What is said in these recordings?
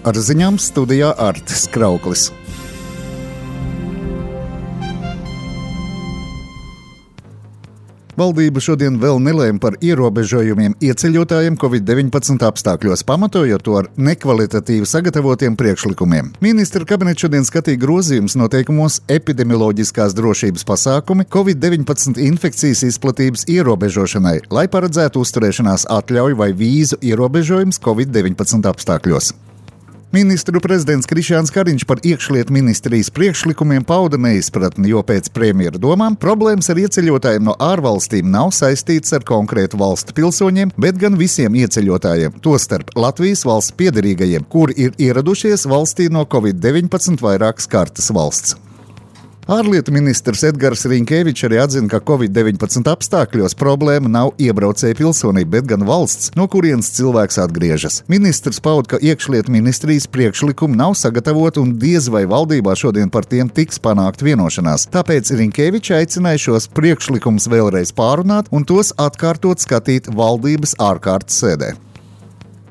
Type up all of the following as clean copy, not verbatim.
Ar ziņām studijā Artis Krauklis. Valdība šodien vēl nelēma par ierobežojumiem ieceļotājiem Covid-19 apstākļos, pamatojot to ar nekvalitatīvi sagatavotiem priekšlikumiem. Ministra kabinets šodien skatīja grozījumus noteikumos epidemioloģiskās drošības pasākumi Covid-19 infekcijas izplatības ierobežošanai, lai paredzētu uzturēšanās atļauju vai vīzu ierobežojumus Covid-19 apstākļos. Ministru prezidents Krišjāns Kariņš par iekšlietu ministrijas priekšlikumiem pauda neizpratni, jo pēc premjera domām problēmas ar ieceļotājiem no ārvalstīm nav saistītas ar konkrētu valstu pilsoņiem, bet gan visiem ieceļotājiem, tostarp Latvijas valsts piederīgajiem, kuri ir ieradušies valstī no Covid-19 vairākas kārtas valsts. Ārlietu ministrs Edgars Rinkēvičs arī atzina, ka Covid-19 apstākļos problēma nav iebraucēja pilsonība, bet gan valsts, no kurienes cilvēks atgriežas. Ministrs pauda, ka iekšlietu ministrijas priekšlikumi nav sagatavoti un diez vai valdībā šodien par tiem tiks panākt vienošanās. Tāpēc Rinkēvičs aicināja šos priekšlikumus vēlreiz pārunāt un tos atkārtot skatīt valdības ārkārtas sēdē.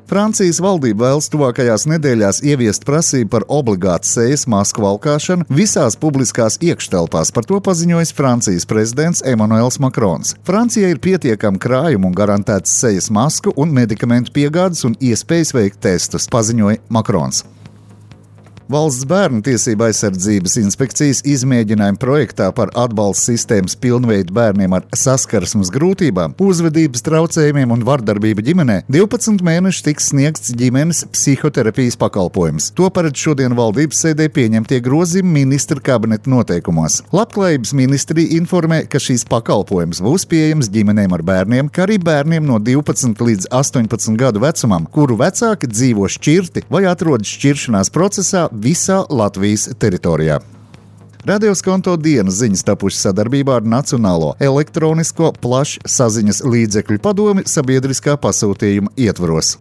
Francijas valdība vēlas tuvākajās nedēļās ieviest prasību par obligātu sejas masku valkāšanu visās publiskās iekštelpās. Par to paziņojis Francijas prezidents Emmanuels Macrons. Francijai ir pietiekami krājumi un garantēts sejas masku un medikamentu piegādes un iespējas veikt testus, paziņoja Macrons. Valsts bērnu tiesību aizsardzības inspekcijas izmēģinājuma projektā par atbalsta sistēmas pilnveidu bērniem ar saskarsmes grūtībām, uzvedības traucējumiem un vardarbību ģimenē 12 mēnešus tiks sniegts ģimenes psihoterapijas pakalpojums. To paredz šodien valdības sēdē pieņemtie grozījumi ministra kabineta noteikumos. Labklājības ministrija informē, ka šīs pakalpojums būs pieejams ģimenēm ar bērniem, kā arī bērniem no 12 līdz 18 gadu vecumam, kuru vecāki dzīvo šķirti vai atrodas šķiršanās procesā visā Latvijas teritorijā. Radioskonto dienas ziņas tapušas sadarbībā ar Nacionālo elektronisko plašsaziņas līdzekļu padomi sabiedriskā pasūtījuma ietvaros.